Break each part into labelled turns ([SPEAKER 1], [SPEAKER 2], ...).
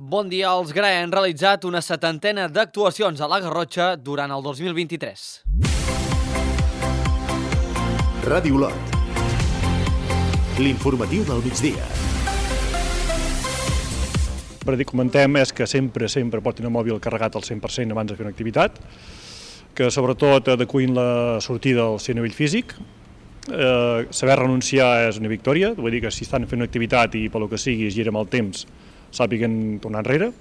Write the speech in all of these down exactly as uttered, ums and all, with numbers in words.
[SPEAKER 1] Bon dia. Els G R A E han realitzat una setantena d'actuacions a la Garrotxa durant el dos mil vint-i-tres.
[SPEAKER 2] Ràdio Lot. L'informatiu del migdia.
[SPEAKER 3] Per dir, comentem és que sempre, sempre portin el mòbil carregat al cent per cent abans de fer una activitat, que sobretot adecuïn la sortida al ser a nivell físic. Eh, saber renunciar és una victòria, vull dir que si estan fent una activitat i pel que sigui es gira amb el temps, sàpiguen tornar enrere,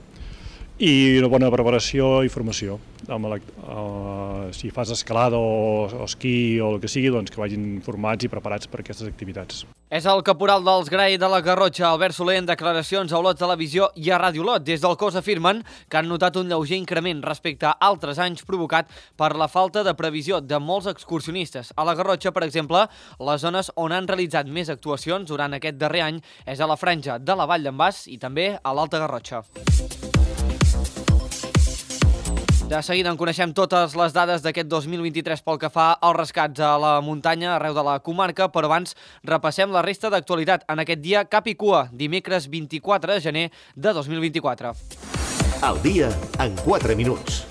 [SPEAKER 3] i una bona preparació i formació. Amb la, uh, si fas escalada o, o esquí o el que sigui, doncs que vagin formats i preparats per aquestes activitats.
[SPEAKER 1] És el caporal dels G R A E de la Garrotxa, Albert Soler, en declaracions a Olot Televisió i a Ràdio Lot. Des del cos afirmen que han notat un lleuger increment respecte a altres anys provocat per la falta de previsió de molts excursionistes. A la Garrotxa, per exemple, les zones on han realitzat més actuacions durant aquest darrer any és a la franja de la Vall d'en Bas i també a l'Alta Garrotxa. De seguida en coneixem totes les dades d'aquest dos mil vint-i-tres pel que fa als rescats a la muntanya arreu de la comarca, però abans repassem la resta d'actualitat en aquest dia cap i cua, dimecres vint-i-quatre de gener de dos mil vint-i-quatre.
[SPEAKER 2] El dia en quatre minuts.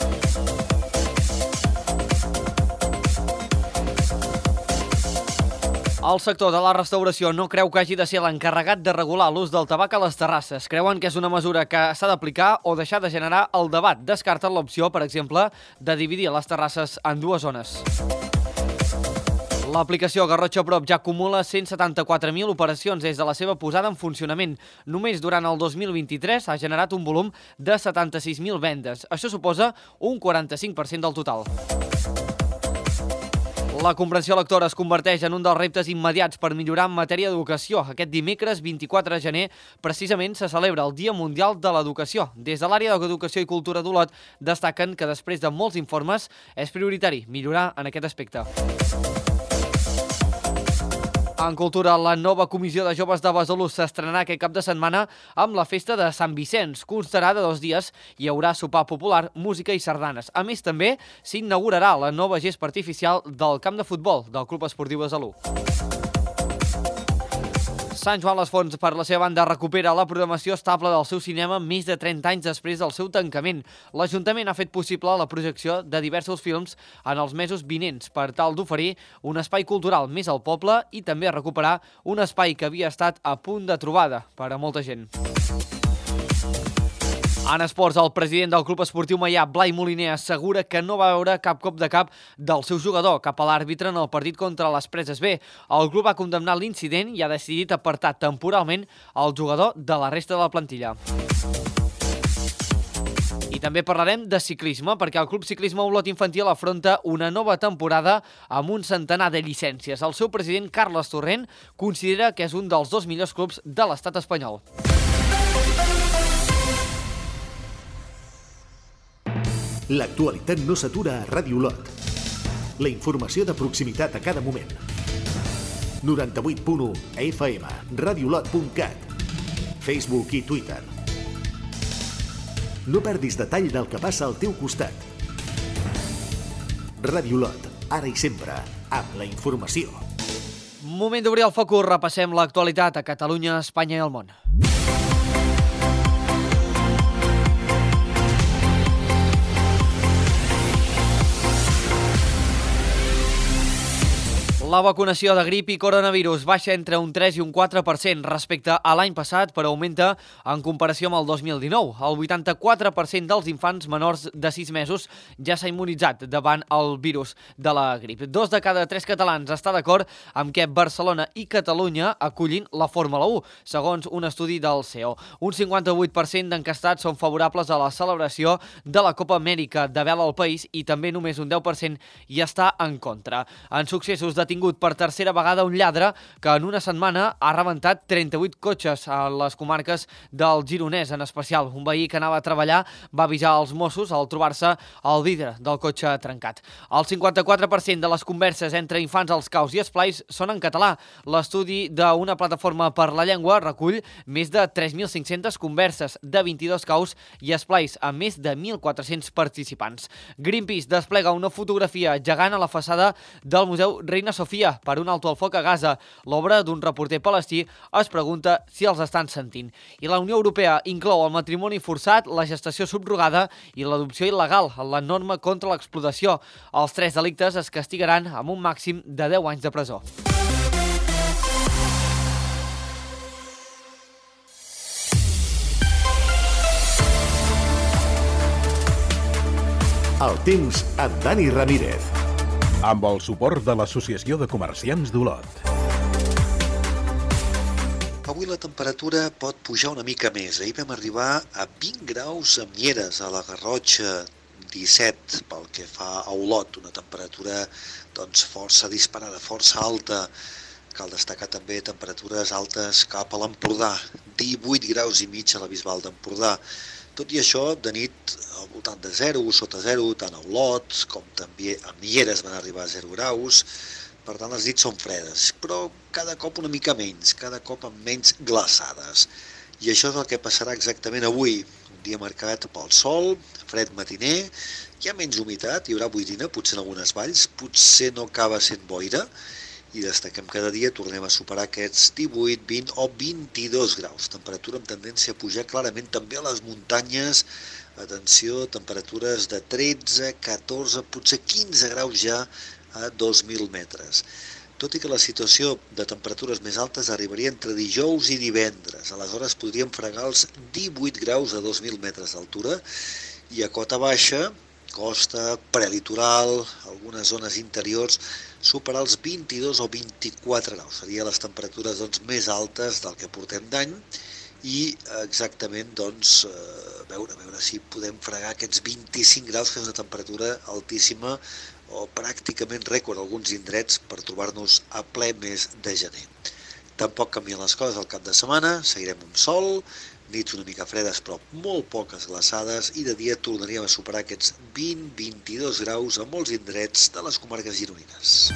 [SPEAKER 1] El sector de la restauració no creu que hagi de ser l'encarregat de regular l'ús del tabac a les terrasses. Creuen que és una mesura que s'ha d'aplicar o deixar de generar el debat. Descarten l'opció, per exemple, de dividir les terrasses en dues zones. L'aplicació Garrotxa Prop ja acumula cent setanta-quatre mil operacions des de la seva posada en funcionament. Només durant el dos mil vint-i-tres ha generat un volum de setanta-sis mil vendes. Això suposa un quaranta-cinc per cent del total. La comprensió lectora es converteix en un dels reptes immediats per millorar en matèria d'educació. Aquest dimecres vint-i-quatre de gener precisament se celebra el Dia Mundial de l'Educació. Des de l'àrea d'Educació i Cultura d'Olot destaquen que després de molts informes és prioritari millorar en aquest aspecte. En cultura, la nova comissió de joves de Besalú s'estrenarà aquest cap de setmana amb la festa de Sant Vicenç. Constarà de dos dies i hi haurà sopar popular, música i sardanes. A més, també s'inaugurarà la nova gespa artificial del camp de futbol del Club Esportiu Besalú. Sant Joan les Fonts, per la seva banda, recupera la programació estable del seu cinema més de trenta anys després del seu tancament. L'Ajuntament ha fet possible la projecció de diversos films en els mesos vinents per tal d'oferir un espai cultural més al poble i també recuperar un espai que havia estat a punt de trobada per a molta gent. En esports, el president del Club Esportiu Maià, Blai Moliner, assegura que no va veure cap cop de cap del seu jugador cap a l'àrbitre en el partit contra les Preses B. El club ha condemnat l'incident i ha decidit apartar temporalment el jugador de la resta de la plantilla. I també parlarem de ciclisme, perquè el Club Ciclisme Olot Infantil afronta una nova temporada amb un centenar de llicències. El seu president, Carles Torrent, considera que és un dels dos millors clubs de l'estat espanyol.
[SPEAKER 2] L'actualitat no s'atura a Ràdio Lot. La informació de proximitat a cada moment. noranta-vuit punt u F M, radiolot punt cat, Facebook i Twitter. No perdis detall del que passa al teu costat. Ràdio Lot, ara i sempre, amb la informació.
[SPEAKER 1] Moment d'obrir el focus, repassem l'actualitat a Catalunya, Espanya i el món. La vacunació de grip i coronavirus baixa entre un tres i un quatre per cent respecte a l'any passat, però augmenta en comparació amb el dos mil dinou. El vuitanta-quatre per cent dels infants menors de sis mesos ja s'ha immunitzat davant el virus de la grip. Dos de cada tres catalans està d'acord amb que Barcelona i Catalunya acollin la Fórmula u, segons un estudi del C E O. Un cinquanta-vuit per cent d'encastats són favorables a la celebració de la Copa Amèrica de vela al país i també només un deu per cent hi està en contra. En successos de tingut per tercera vegada un lladre que en una setmana ha rebentat trenta-vuit cotxes a les comarques del Gironès, en especial. Un veí que anava a treballar va avisar els Mossos al trobar-se el vidre del cotxe trencat. El cinquanta-quatre per cent de les converses entre infants als caus i esplais són en català. L'estudi d'una plataforma per la llengua recull més de tres mil cinc-centes converses de vint-i-dos caus i esplais amb més de mil quatre-cents participants. Greenpeace desplega una fotografia gegant a la façana del Museu Reina Sofia fotografia per un alto al foc a Gaza, l'obra d'un reporter palestí, es pregunta si els estan sentint. I la Unió Europea inclou el matrimoni forçat, la gestació subrogada i l'adopció il·legal en la norma contra l'explotació. Els tres delictes es castigaran amb un màxim de deu anys de presó.
[SPEAKER 2] El temps amb Dani Ramírez.
[SPEAKER 4] Amb el suport de l'Associació de Comerciants d'Olot.
[SPEAKER 5] Avui la temperatura pot pujar una mica més. Ahir vam arribar a vint graus a Mieres, a la Garrotxa, disset pel que fa a Olot, una temperatura doncs, força disparada, força alta. Cal destacar també temperatures altes cap a l'Empordà, divuit graus i mig a la Bisbal d'Empordà. Tot i això, de nit al voltant de zero, sota zero, tant a Olot com també a Mieres van arribar a zero graus. Per tant, les nits són fredes, però cada cop una mica menys, cada cop amb menys glaçades. I això és el que passarà exactament avui. Un dia marcat pel sol, fred matiner, hi ha menys humitat, hi haurà boirina, potser en algunes valls, potser no acaba sent boira, i destaquem cada dia, tornem a superar aquests divuit, vint o vint-i-dos graus. Temperatura amb tendència a pujar clarament també a les muntanyes. Atenció, temperatures de tretze, catorze, potser quinze graus ja a dos mil metres. Tot i que la situació de temperatures més altes arribaria entre dijous i divendres. Aleshores podríem fregar els divuit graus a dos mil metres d'altura i a cota baixa, costa, prelitoral, algunes zones interiors, superar els vint-i-dos o vint-i-quatre graus. Serien les temperatures doncs, més altes del que portem d'any i exactament doncs, veure, veure si podem fregar aquests vint-i-cinc graus, que és una temperatura altíssima o pràcticament rècord a alguns indrets per trobar-nos a ple mes de gener. Tampoc canvien les coses al cap de setmana, seguirem amb sol, nits una mica fredes però molt poques glaçades i de dia tornaríem a superar aquests vint a vint-i-dos graus a molts indrets de les comarques gironines.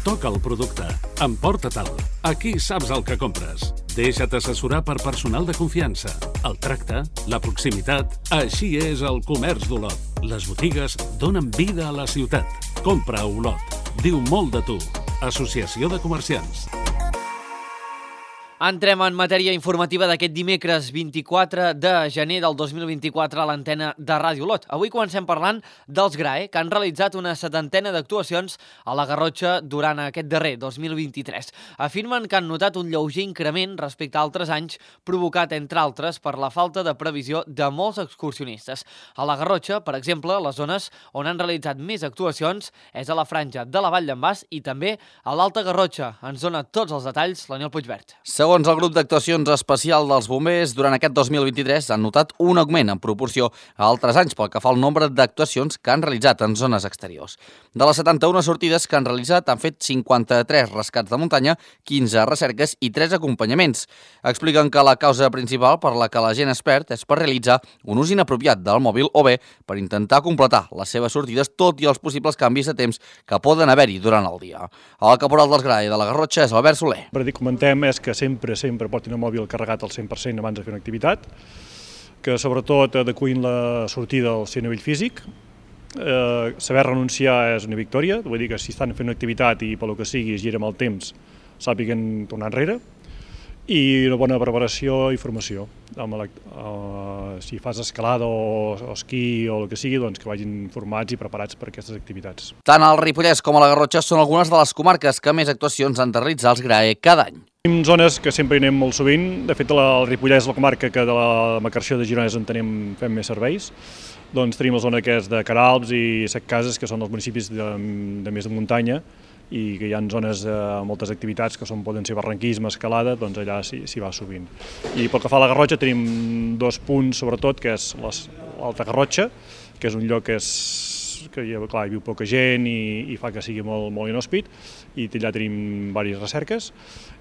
[SPEAKER 6] Toca el producte, emporta-te'l. Aquí saps el que compres. Deixa't assessorar per personal de confiança. El tracte, la proximitat, així és el comerç d'Olot. Les botigues donen vida a la ciutat. Compra a Olot. Diu molt de tu. Associació de Comerciants.
[SPEAKER 1] Entrem en matèria informativa d'aquest dimecres vint-i-quatre de gener del dos mil vint-i-quatre a l'antena de Ràdio Olot. Avui comencem parlant dels GRAE, que han realitzat una setantena d'actuacions a la Garrotxa durant aquest darrer dos mil vint-i-tres. Afirmen que han notat un lleuger increment respecte a altres anys, provocat, entre altres, per la falta de previsió de molts excursionistes. A la Garrotxa, per exemple, les zones on han realitzat més actuacions és a la franja de la Vall d'en Bas i també a l'Alta Garrotxa. Ens dona tots els detalls l'Aniol Puigvert.
[SPEAKER 7] Segons el grup d'actuacions especial dels bombers, durant aquest dos mil vint-i-tres han notat un augment en proporció a altres anys pel que fa al nombre d'actuacions que han realitzat en zones exteriors. De les setanta-una sortides que han realitzat, han fet cinquanta-tres rescats de muntanya, quinze recerques i tres acompanyaments. Expliquen que la causa principal per la que la gent es perd és per realitzar un ús inapropiat del mòbil o bé per intentar completar les seves sortides, tot i els possibles canvis de temps que poden haver-hi durant el dia. El caporal dels GRAE de la Garrotxa és Albert Soler.
[SPEAKER 3] Per dir, comentem és que sempre sempre portin el mòbil carregat al cent per cent abans de fer una activitat, que sobretot adequin la sortida al ser a nivell físic. Eh, saber renunciar és una victòria, vull dir que si estan fent una activitat i pel que sigui es gira amb el temps, sàpiguen tornar enrere. I una bona preparació i formació. Amb la, uh, si fas escalada o, o esquí o el que sigui, doncs que vagin formats i preparats per aquestes activitats.
[SPEAKER 7] Tant el Ripollès com a la Garrotxa són algunes de les comarques que més actuacions han de realitzar els GRAE cada any.
[SPEAKER 3] Tenim zones que sempre hi anem molt sovint. De fet, el Ripollès és la comarca que de la Macarció de Girona és on tenim, fem més serveis. Doncs tenim la zona que és de Caralps i Setcases, que són els municipis de, de més de muntanya, i que hi ha zones de moltes activitats que són, poden ser barranquisme, escalada, doncs allà s'hi va sovint. I pel que fa a la Garrotxa tenim dos punts, sobretot, que és l'Alta Garrotxa, que és un lloc que, és, que clar, hi viu poca gent i, i fa que sigui molt, molt inhòspit, i allà tenim diverses recerques.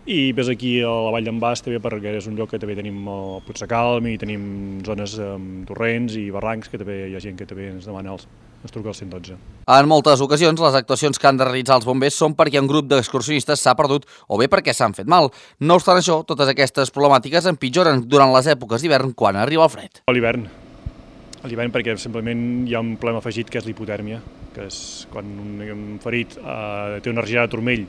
[SPEAKER 3] I ves aquí a la Vall d'en Bas també, perquè és un lloc que també tenim el Puigdecalm i tenim zones amb torrents i barrancs, que també hi ha gent que també ens demana els ens truca al cent dotze.
[SPEAKER 7] En moltes ocasions, les actuacions que han de realitzar els bombers són perquè un grup d'excursionistes s'ha perdut o bé perquè s'han fet mal. No obstant això, totes aquestes problemàtiques empitjoren durant les èpoques d'hivern quan arriba el fred.
[SPEAKER 3] A l'hivern. a l'hivern perquè simplement hi ha un problema afegit que és l'hipotèrmia, que és quan un ferit eh, té una regirada de turmell.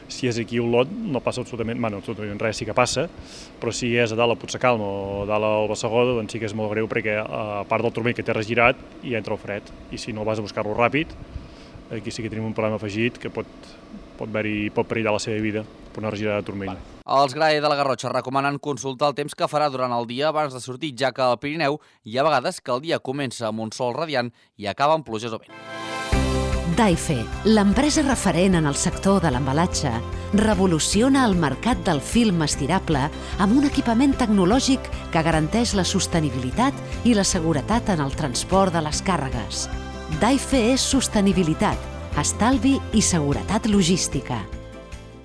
[SPEAKER 3] Si és aquí a Olot no passa absolutament, bueno, absolutament res, sí que passa, però si és a dalt a Puigcerdà o a dalt al Bassegó, doncs sí que és molt greu perquè a part del turmell que té regirat hi entra el fred i si no vas a buscar-lo ràpid, aquí sí que tenim un problema afegit que pot, pot, pot perillar la seva vida per una regirada de turmell.
[SPEAKER 7] Els Grae de la Garrotxa recomanen consultar el temps que farà durant el dia abans de sortir, ja que al Pirineu hi ha vegades que el dia comença amb un sol radiant i acaba amb pluges o vent.
[SPEAKER 8] Daife, l'empresa referent en el sector de l'embalatge, revoluciona el mercat del film estirable amb un equipament tecnològic que garanteix la sostenibilitat i la seguretat en el transport de les càrregues. Daife és sostenibilitat, estalvi i seguretat logística.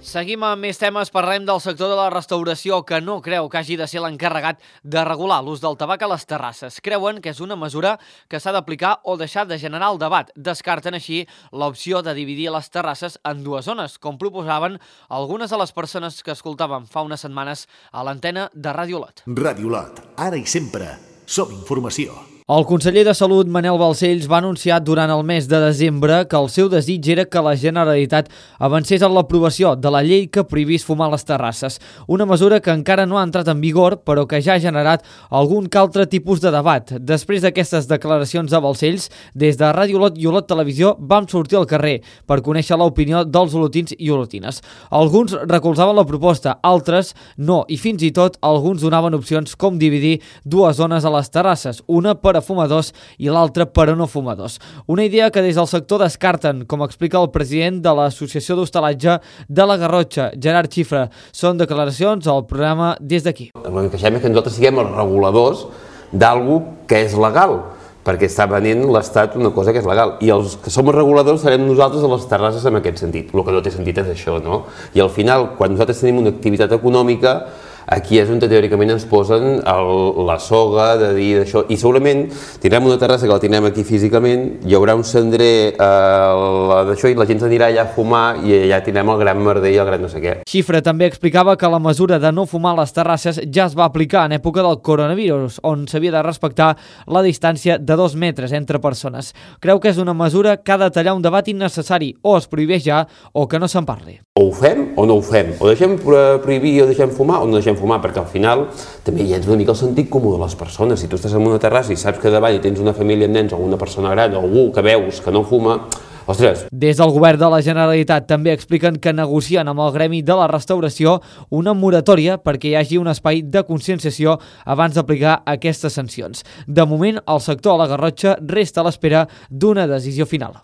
[SPEAKER 1] Seguim amb més temes, parlem del sector de la restauració que no creu que hagi de ser l'encarregat de regular l'ús del tabac a les terrasses. Creuen que és una mesura que s'ha d'aplicar o deixar de generar el debat. Descarten així l'opció de dividir les terrasses en dues zones, com proposaven algunes de les persones que escoltàvem fa unes setmanes a l'antena de Ràdio Olot.
[SPEAKER 2] Ràdio Olot, ara i sempre, som informació.
[SPEAKER 1] El conseller de Salut, Manel Balcells, va anunciar durant el mes de desembre que el seu desig era que la Generalitat avancés en l'aprovació de la llei que prohibís fumar a les terrasses. Una mesura que encara no ha entrat en vigor, però que ja ha generat algun que altre tipus de debat. Després d'aquestes declaracions de Balcells, des de Ràdio Olot i Olot Televisió vam sortir al carrer per conèixer l'opinió dels olotins i olotines. Alguns recolzaven la proposta, altres no, i fins i tot alguns donaven opcions com dividir dues zones a les terrasses, una per a fumadors i l'altra per a no fumadors. Una idea que des del sector descarten, com explica el president de l'Associació d'Hostalatge de la Garrotxa, Gerard Xifra. Són declaracions al programa Des d'aquí.
[SPEAKER 9] El que queixem és que nosaltres siguem els reguladors d'algú que és legal, perquè està venint l'Estat una cosa que és legal, i els que som els reguladors serem nosaltres a les terrasses en aquest sentit. El que no té sentit és això, no? I al final, quan nosaltres tenim una activitat econòmica, aquí és on teòricament ens posen el, la soga de dir d'això, i segurament tindrem una terrassa que la tindrem aquí físicament, hi haurà un cendrer eh, d'això i la gent s'anirà allà a fumar i allà tindrem el gran merder i el gran no sé què.
[SPEAKER 1] Xifra també explicava que la mesura de no fumar a les terrasses ja es va aplicar en època del coronavirus, on s'havia de respectar la distància de dos metres entre persones. Creu que és una mesura que ha de tallar un debat innecessari, o es prohibeix ja o que no se'n parli.
[SPEAKER 9] O ho fem o no ho fem, o deixem prohibir o deixem fumar o no deixem fumar, perquè al final també hi ha una mica el sentit comú de les persones. Si tu estàs en una terrassa i saps que davall tens una família amb nens o una persona gran o algú que veus que no fuma, ostres.
[SPEAKER 1] Des del govern de la Generalitat també expliquen que negocien amb el gremi de la restauració una moratòria perquè hi hagi un espai de conscienciació abans d'aplicar aquestes sancions. De moment, el sector a la Garrotxa resta a l'espera d'una decisió final.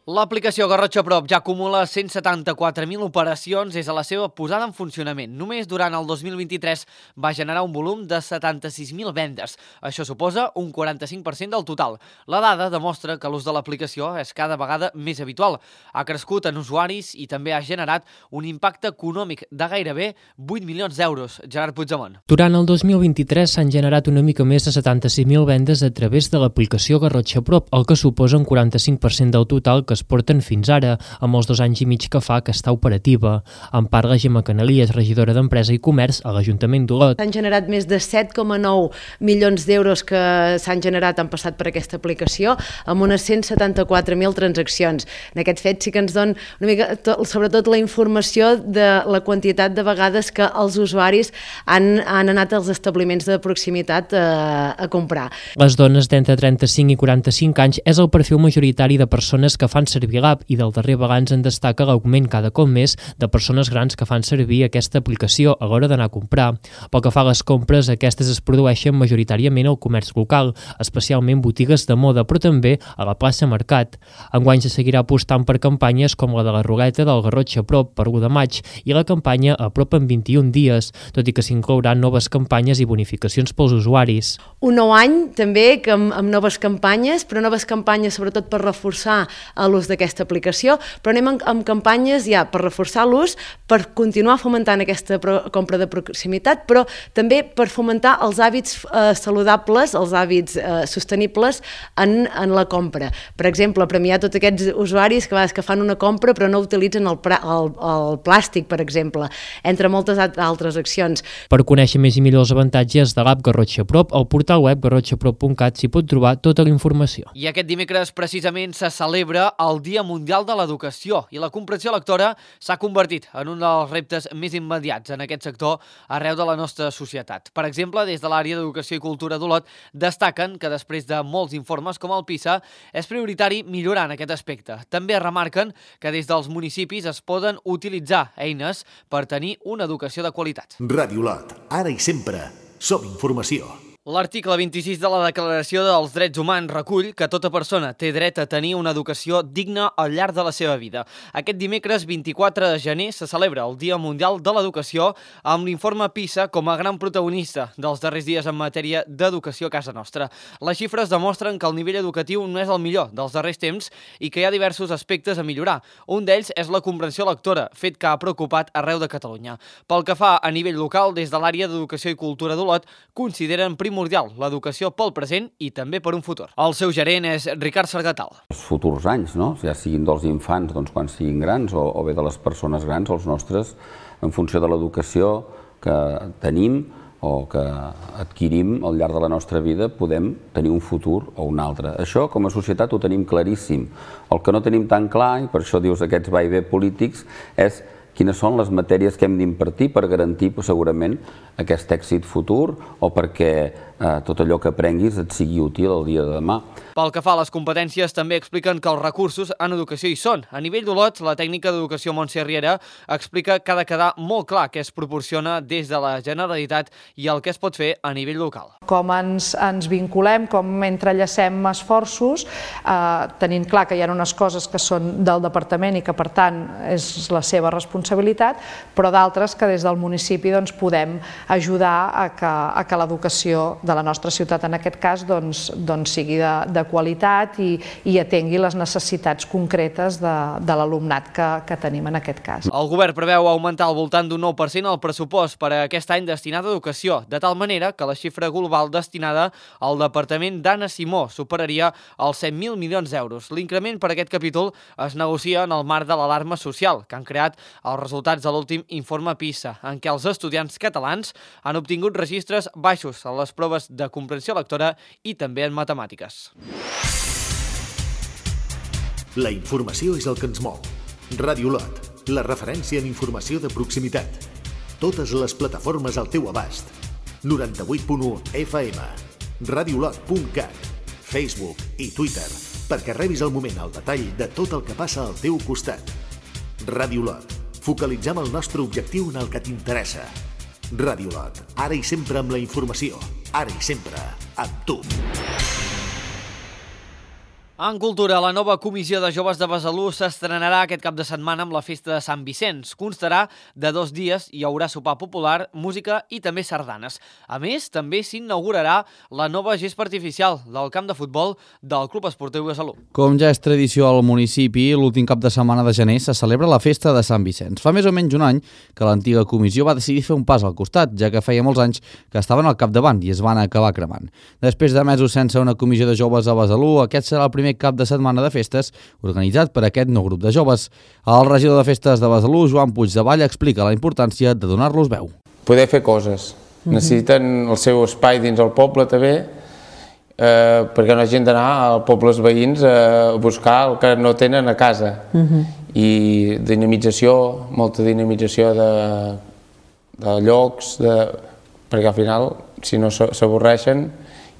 [SPEAKER 1] L'aplicació Garrotxa Prop ja acumula cent setanta-quatre mil operacions des de la seva posada en funcionament. Només durant el dos mil vint-i-tres va generar un volum de setanta-sis mil vendes. Això suposa un quaranta-cinc per cent del total. La dada demostra que l'ús de l'aplicació és cada vegada més habitual. Ha crescut en usuaris i també ha generat un impacte econòmic de gairebé vuit milions d'euros. Gerard Puigdemont.
[SPEAKER 10] Durant el dos mil vint-i-tres s'han generat una mica més de setanta-sis mil vendes a través de l'aplicació Garrotxa Prop, el que suposa un quaranta-cinc per cent del total que es porten fins ara, amb els dos anys i mig que fa que està operativa. En parla Gemma Canalies, regidora d'Empresa i Comerç a l'Ajuntament d'Olot.
[SPEAKER 11] S'han generat més de set coma nou milions d'euros que s'han generat, han passat per aquesta aplicació, amb unes cent setanta-quatre mil transaccions. En aquest fet sí que ens dona una mica, sobretot la informació de la quantitat de vegades que els usuaris han, han anat als establiments de proximitat a, a comprar.
[SPEAKER 10] Les dones d'entre trenta-cinc i quaranta-cinc anys és el perfil majoritari de persones que fan servir l'app i del darrer balanç en destaca l'augment cada cop més de persones grans que fan servir aquesta aplicació a l'hora d'anar a comprar. Pel que fa a les compres, aquestes es produeixen majoritàriament al comerç local, especialment botigues de moda, però també a la plaça Mercat. Enguany se seguirà apostant per campanyes com la de la ruleta del Garrotxa Prop per l'u de maig i la campanya a prop en vint-i-un dies, tot i que s'inclouran noves campanyes i bonificacions pels usuaris.
[SPEAKER 11] Un nou any també que amb, amb noves campanyes, però noves campanyes sobretot per reforçar l'ús d'aquesta aplicació, però anem amb, amb campanyes ja per reforçar l'ús, per continuar fomentant aquesta pro, compra de proximitat, però també per fomentar els hàbits eh, saludables, els hàbits eh, sostenibles en, en la compra. Per exemple, premiar tots aquests usuaris que, que fan una compra però no utilitzen el, el, el plàstic, per exemple, entre moltes altres accions.
[SPEAKER 10] Per conèixer més i millor els avantatges de l'app Garrotxa Prop, al portal web garrotxa prop punt cat s'hi pot trobar tota la informació.
[SPEAKER 1] I aquest dimecres precisament se celebra el Dia Mundial de l'Educació i la comprensió lectora s'ha convertit en un dels reptes més immediats en aquest sector arreu de la nostra societat. Per exemple, des de l'àrea d'Educació i Cultura d'Olot destaquen que després de molts informes com el PISA és prioritari millorar en aquest aspecte. També remarquen que des dels municipis es poden utilitzar eines per tenir una educació de qualitat.
[SPEAKER 2] Ràdio Olot, ara i sempre, som informació.
[SPEAKER 1] L'article vint-i-sis de la Declaració dels Drets Humans recull que tota persona té dret a tenir una educació digna al llarg de la seva vida. Aquest dimecres vint-i-quatre de gener se celebra el Dia Mundial de l'Educació amb l'informe PISA com a gran protagonista dels darrers dies en matèria d'educació a casa nostra. Les xifres demostren que el nivell educatiu no és el millor dels darrers temps i que hi ha diversos aspectes a millorar. Un d'ells és la comprensió lectora, fet que ha preocupat arreu de Catalunya. Pel que fa a nivell local, des de l'àrea d'Educació i Cultura d'Olot, consideren primordial l'educació pel present i també per un futur. El seu gerent és Ricard Sargatal.
[SPEAKER 12] Els futurs anys, no? Ja siguin dels infants doncs, quan siguin grans o, o bé de les persones grans, els nostres, en funció de l'educació que tenim o que adquirim al llarg de la nostra vida, podem tenir un futur o un altre. Això, com a societat, ho tenim claríssim. El que no tenim tan clar, i per això dius aquests va i ve polítics, és quines són les matèries que hem d'impartir per garantir segurament aquest èxit futur o perquè eh, tot allò que aprenguis et sigui útil el dia de demà.
[SPEAKER 1] Pel que fa a les competències, també expliquen que els recursos en educació hi són. A nivell d'Olot, la tècnica d'educació Montse Riera explica que ha de quedar molt clar què es proporciona des de la Generalitat i el que es pot fer a nivell local.
[SPEAKER 13] Com ens, ens vinculem, com entrellacem esforços, eh, tenint clar que hi ha unes coses que són del departament i que per tant és la seva responsabilitat, però d'altres que des del municipi doncs, podem ajudar a que, a que l'educació de la nostra ciutat, en aquest cas, doncs, doncs sigui de, de qualitat i, i atengui les necessitats concretes de, de l'alumnat que, que tenim en aquest cas.
[SPEAKER 1] El govern preveu augmentar al voltant d'un nou per cent el pressupost per a aquest any destinat a educació, de tal manera que la xifra global destinada al Departament d'Anna Simó superaria els set mil milions d'euros. L'increment per aquest capítol es negocia en el marc de l'alarma social, que han creat els resultats de l'últim informe PISA, en què els estudiants catalans han obtingut registres baixos en les proves de comprensió lectora i també en matemàtiques.
[SPEAKER 2] La informació és el que ens mou. Ràdio Olot, la referència en informació de proximitat. Totes les plataformes al teu abast. noranta-vuit punt u F M, radiolot punt cat, Facebook i Twitter, perquè rebis al moment el detall de tot el que passa al teu costat. Ràdio Olot, focalitzem el nostre objectiu en el que t'interessa. Ràdio Olot, ara i sempre amb la informació, ara i sempre amb tu.
[SPEAKER 1] En cultura, la nova Comissió de Joves de Besalú s'estrenarà aquest cap de setmana amb la festa de Sant Vicenç. Constarà de dos dies, hi haurà sopar popular, música i també sardanes. A més, també s'inaugurarà la nova gespa artificial del camp de futbol del Club Esportiu Besalú.
[SPEAKER 7] Com ja és tradició al municipi, l'últim cap de setmana de gener se celebra la festa de Sant Vicenç. Fa més o menys un any que l'antiga comissió va decidir fer un pas al costat, ja que feia molts anys que estaven al capdavant i es van acabar cremant. Després de mesos sense una comissió de joves a Besalú, aquest serà el primer cap de setmana de festes organitzat per aquest nou grup de joves. El regidor de festes de Besalú, Joan Puigdevall, explica la importància de donar-los veu.
[SPEAKER 14] Poder fer coses. Necessiten el seu espai dins el poble també, eh, perquè no hagin d'anar als pobles veïns a buscar el que no tenen a casa. Uh-huh. I dinamització, molta dinamització de, de llocs, de, perquè al final, si no s'avorreixen,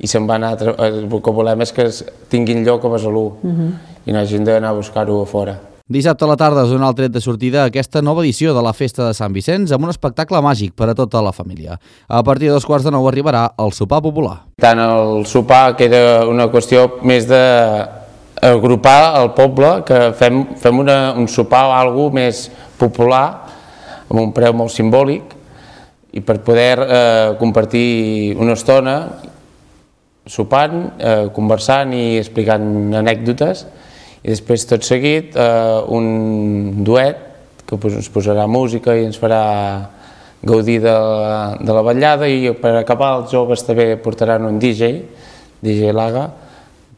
[SPEAKER 14] i se'n van a... El que volem és que tinguin lloc a Besalú uh-huh. i no hagin d'anar a buscar-ho a fora.
[SPEAKER 7] Dissabte a la tarda es dona el tret de sortida a aquesta nova edició de la Festa de Sant Vicenç amb un espectacle màgic per a tota la família. A partir de dos quarts de nou arribarà el sopar popular.
[SPEAKER 14] Tant el sopar, que era una qüestió més d'agrupar el poble, que fem, fem una, un sopar o alguna cosa més popular, amb un preu molt simbòlic, i per poder eh, compartir una estona sopant, eh, conversant i explicant anècdotes i després tot seguit eh, un duet que ens posarà música i ens farà gaudir de la, de la ballada, i per acabar els joves també portaran un D J, D J Laga,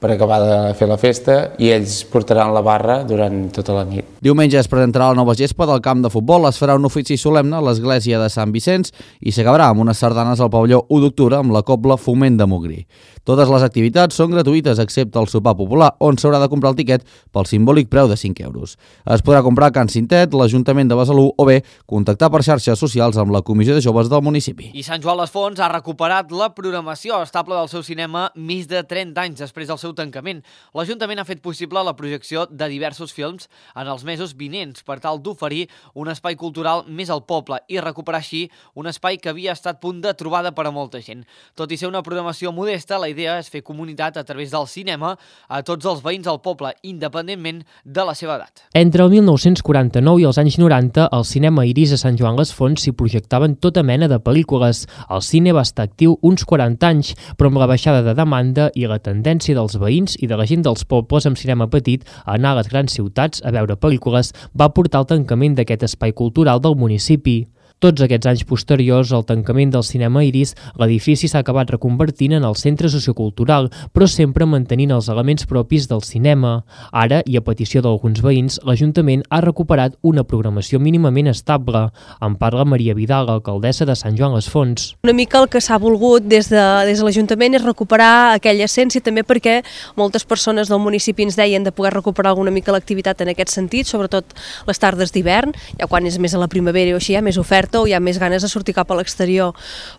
[SPEAKER 14] per acabar de fer la festa, i ells portaran la barra durant tota la nit.
[SPEAKER 7] Diumenge es presentarà la nova gespa del camp de futbol, es farà un ofici solemne a l'església de Sant Vicenç i s'acabarà amb unes sardanes al pavelló u d'octubre amb la cobla Foment de Montgrí. Totes les activitats són gratuïtes excepte el sopar popular, on s'haurà de comprar el tiquet pel simbòlic preu de cinc euros. Es podrà comprar a Can Cintet, l'Ajuntament de Besalú o bé contactar per xarxes socials amb la Comissió de Joves del municipi.
[SPEAKER 1] I Sant Joan les Fonts ha recuperat la programació estable del seu cinema més de trenta anys després del seu tancament. L'Ajuntament ha fet possible la projecció de diversos films en els mesos vinents per tal d'oferir un espai cultural més al poble i recuperar així un espai que havia estat punt de trobada per a molta gent. Tot i ser una programació modesta, la idea és fer comunitat a través del cinema a tots els veïns del poble, independentment de la seva edat.
[SPEAKER 10] Entre el mil nou-cents quaranta-nou i els anys noranta, al cinema Iris a Sant Joan les Fonts s'hi projectaven tota mena de pel·lícules. El cine va estar actiu uns quaranta anys, però amb la baixada de demanda i la tendència dels veïns i de la gent dels pobles amb cinema petit a anar a les grans ciutats a veure pel·lícules va portar al tancament d'aquest espai cultural del municipi. Tots aquests anys posteriors al tancament del cinema Iris, l'edifici s'ha acabat reconvertint en el centre sociocultural, però sempre mantenint els elements propis del cinema. Ara, i a petició d'alguns veïns, l'Ajuntament ha recuperat una programació mínimament estable. En parla Maria Vidal, alcaldessa de Sant Joan les Fonts.
[SPEAKER 15] Una mica el que s'ha volgut des de, des de l'Ajuntament és recuperar aquella essència, també perquè moltes persones del municipi ens deien de poder recuperar alguna mica l'activitat en aquest sentit, sobretot les tardes d'hivern, ja quan és més a la primavera o així hi ha més oferta o hi ha més ganes de sortir cap a l'exterior,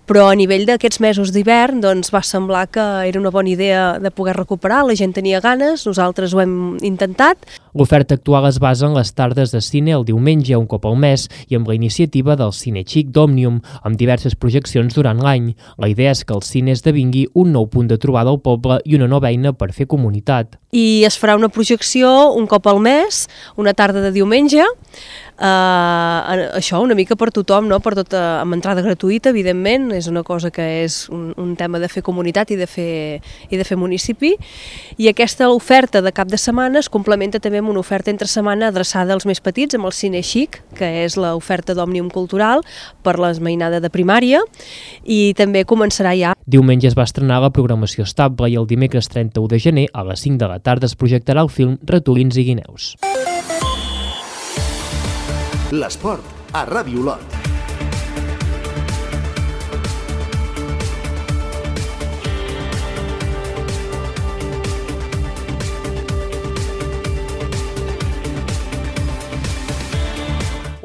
[SPEAKER 15] però a nivell d'aquests mesos d'hivern doncs va semblar que era una bona idea de poder recuperar, la gent tenia ganes, nosaltres ho hem intentat.
[SPEAKER 10] L'oferta actual es basa en les tardes de cine el diumenge un cop al mes i amb la iniciativa del Cine Xic d'Òmnium, amb diverses projeccions durant l'any. La idea és que el cine esdevingui un nou punt de trobada al poble i una nova eina per fer comunitat.
[SPEAKER 15] I es farà una projecció un cop al mes, una tarda de diumenge, Uh, això una mica per tothom, no? Per tot, uh, amb entrada gratuïta, evidentment, és una cosa que és un, un tema de fer comunitat i de fer, i de fer municipi, i aquesta oferta de cap de setmana es complementa també amb una oferta entre setmana adreçada als més petits, amb el Cine Xic, que és l'oferta d'Òmnium Cultural per l'esmainada de primària, i també començarà ja.
[SPEAKER 10] Diumenge es va estrenar la programació estable i el dimecres trenta-u de gener a les cinc de la tarda es projectarà el film Ratolins i guineus.
[SPEAKER 2] L'esport a Ràdio Olot.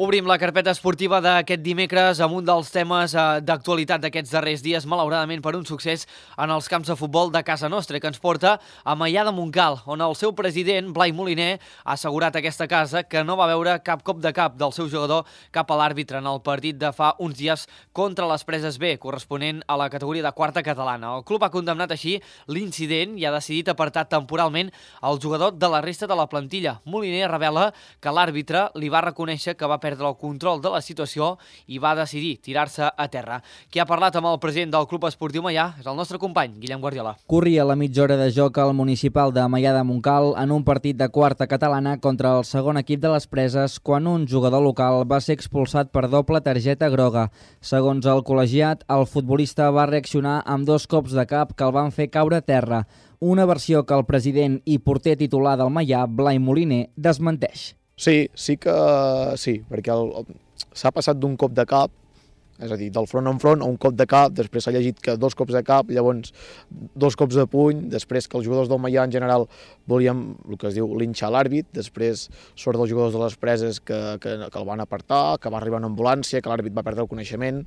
[SPEAKER 1] Obrim la carpeta esportiva d'aquest dimecres amb un dels temes d'actualitat d'aquests darrers dies, malauradament per un succés en els camps de futbol de casa nostra, que ens porta a Maià de Montcal, on el seu president, Blai Moliner, ha assegurat a aquesta casa que no va veure cap cop de cap del seu jugador cap a l'àrbitre en el partit de fa uns dies contra les Preses B, corresponent a la categoria de quarta catalana. El club ha condemnat així l'incident i ha decidit apartar temporalment el jugador de la resta de la plantilla. Moliner revela que l'àrbitre li va reconèixer que va perdre el control de la situació i va decidir tirar-se a terra. Qui ha parlat amb el president del Club Esportiu Maià és el nostre company, Guillem Guardiola.
[SPEAKER 16] Corria la mitja hora de joc al municipal de Maià de Montcal en un partit de quarta catalana contra el segon equip de les Preses quan un jugador local va ser expulsat per doble targeta groga. Segons el col·legiat, el futbolista va reaccionar amb dos cops de cap que el van fer caure a terra. Una versió que el president i porter titular del Maià, Blai Moliner, desmenteix.
[SPEAKER 17] Sí, sí que sí, perquè s'ha passat d'un cop de cap, és a dir, del front en front a un cop de cap, després s'ha llegit que dos cops de cap, llavors dos cops de puny, després que els jugadors del Maià en general volien, el que es diu, linxar l'àrbit, després sort dels jugadors de les Preses que, que, que el van apartar, que va arribar una ambulància, que l'àrbit va perdre el coneixement.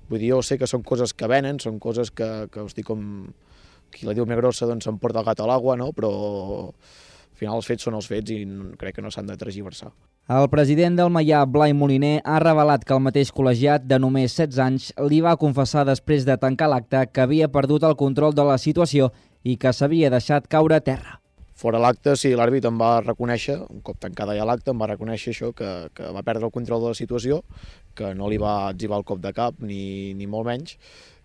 [SPEAKER 17] Vull dir, jo sé que són coses que venen, són coses que, que hosti, com qui la diu més grossa, doncs s'emporta el gat a l'aigua, no? Però al final els fets són els fets i crec que no s'han de tergiversar.
[SPEAKER 16] El president del Maià, Blai Moliner, ha revelat que el mateix col·legiat de només setze anys li va confessar després de tancar l'acte que havia perdut el control de la situació i que s'havia deixat caure a terra.
[SPEAKER 17] Fora l'acte, sí, l'àrbit em va reconèixer, un cop tancada ja l'acte, em va reconèixer això, que, que va perdre el control de la situació, que no li va etzibar el cop de cap, ni, ni molt menys,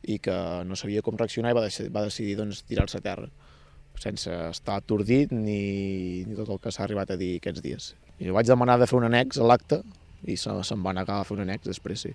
[SPEAKER 17] i que no sabia com reaccionar i va decidir, va decidir doncs, tirar-se a terra. sense estar atordit ni, ni tot el que s'ha arribat a dir aquests dies. I vaig demanar de fer un annex a l'acte i se, se'm va negar a fer un annex després, sí.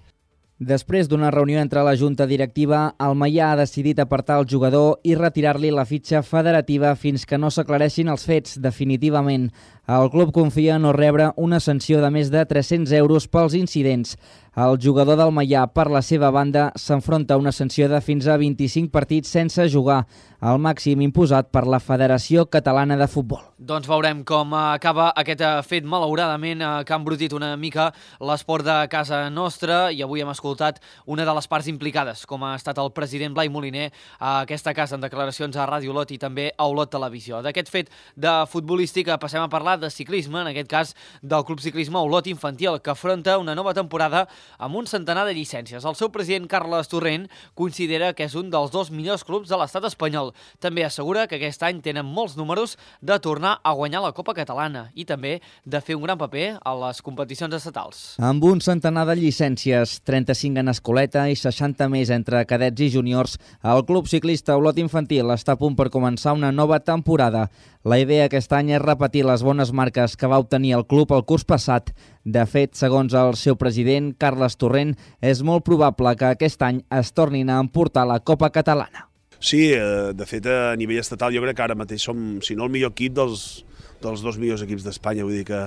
[SPEAKER 16] Després d'una reunió entre la Junta Directiva, el Maià ha decidit apartar el jugador i retirar-li la fitxa federativa fins que no s'aclareixin els fets definitivament. El club confia en no rebre una sanció de més de tres-cents euros pels incidents. El jugador del Maià, per la seva banda, s'enfronta a una sanció de fins a vint-i-cinc partits sense jugar, el màxim imposat per la Federació Catalana de Futbol.
[SPEAKER 1] Doncs veurem com acaba aquest fet, malauradament, que ha embrutit una mica l'esport de casa nostra, i avui hem escoltat una de les parts implicades, com ha estat el president Blai Moliner a aquesta casa en declaracions a Ràdio Olot i també a Olot Televisió. D'aquest fet de futbolística passem a parlar de ciclisme, en aquest cas del Club Ciclisme Olot Infantil, que afronta una nova temporada amb un centenar de llicències. El seu president, Carles Torrent, considera que és un dels dos millors clubs de l'estat espanyol. També assegura que aquest any tenen molts números de tornar a guanyar la Copa Catalana i també de fer un gran paper a les competicions estatals.
[SPEAKER 16] Amb un centenar de llicències, trenta-cinc en escoleta i seixanta més entre cadets i júniors, el Club Ciclista Olot Infantil està a punt per començar una nova temporada. La idea aquest any és repetir les bones marques que va obtenir el club el curs passat. De fet, segons el seu president, Carles Torrent, és molt probable que aquest any es tornin a emportar la Copa Catalana.
[SPEAKER 18] Sí, de fet, a nivell estatal jo crec que ara mateix som, si no el millor equip, dels, dels dos millors equips d'Espanya. Vull dir que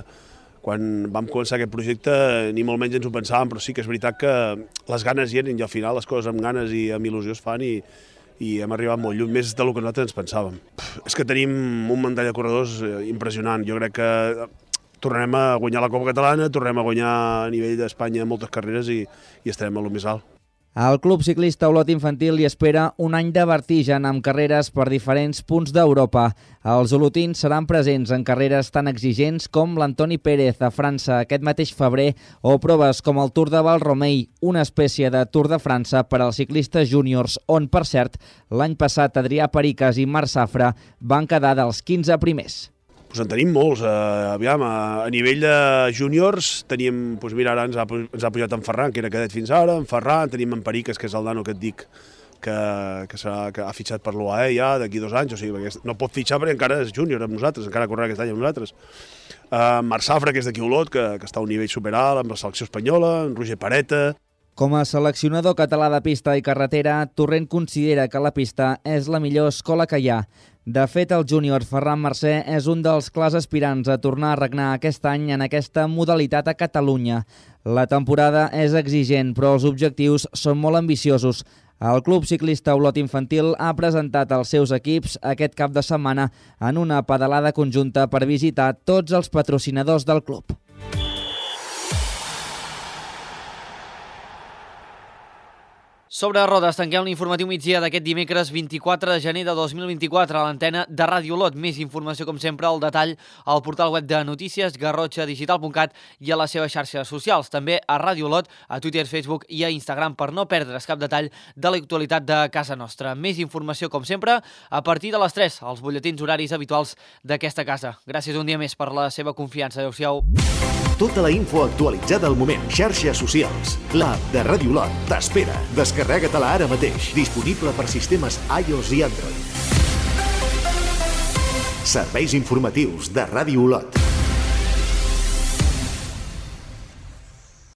[SPEAKER 18] quan vam començar aquest projecte ni molt menys ens ho pensàvem, però sí que és veritat que les ganes hi eren i al final les coses amb ganes i amb il·lusió es fan i, i hem arribat molt lluny, més del que nosaltres ens pensàvem. És que tenim un mantell de corredors impressionant. Jo crec que tornarem a guanyar la Copa Catalana, tornarem a guanyar a nivell d'Espanya moltes carreres i, i estarem a lo més alt.
[SPEAKER 16] El Club Ciclista Olot Infantil li espera un any de vertigen amb carreres per diferents punts d'Europa. Els olotins seran presents en carreres tan exigents com l'Antoni Pérez a França aquest mateix febrer o proves com el Tour de Valromei, una espècie de Tour de França per als ciclistes júniors, on, per cert, l'any passat Adrià Pericas i Marc Safra van quedar dels quinze primers.
[SPEAKER 18] Pues en tenim molts. Uh, aviam, a, a nivell de júniors tenim, doncs mira, ara ens ha, ens ha pujat en Ferran, que era cadet fins ara, en Ferran, tenim en Pericas, que és el nano que et dic, que, que, que ha fitxat per l'U A E ja d'aquí dos anys, o sigui, perquè no pot fitxar perquè encara és júnior amb nosaltres, encara correrà aquest any amb nosaltres. Uh, Marc Safra, que és d'aquí Olot, que, que està a un nivell superalt amb la selecció espanyola, en Roger Pareta.
[SPEAKER 16] Com a seleccionador català de pista i carretera, Torrent considera que la pista és la millor escola que hi ha. De fet, el júnior Ferran Mercè és un dels clars aspirants a tornar a regnar aquest any en aquesta modalitat a Catalunya. La temporada és exigent, però els objectius són molt ambiciosos. El Club Ciclista Olot Infantil ha presentat els seus equips aquest cap de setmana en una pedalada conjunta per visitar tots els patrocinadors del club.
[SPEAKER 1] Sobre rodes, tanquem l'informatiu migdia d'aquest dimecres vint-i-quatre de gener de dos mil vint-i-quatre a l'antena de Ràdio Olot. Més informació, com sempre, al detall al portal web de notícies garrotxa digital punt cat i a les seves xarxes socials. També a Ràdio Olot, a Twitter, Facebook i a Instagram per no perdre's cap detall de l'actualitat de casa nostra. Més informació, com sempre, a partir de les tres, als butlletins horaris habituals d'aquesta casa. Gràcies un dia més per la seva confiança. Adéu-siau.
[SPEAKER 2] Tota la info actualitzada al moment. Xarxes socials. L'app de Ràdio Olot t'espera. Descarrega-te-la ara mateix. Disponible per sistemes iOS i Android. Serveis informatius de Ràdio Olot.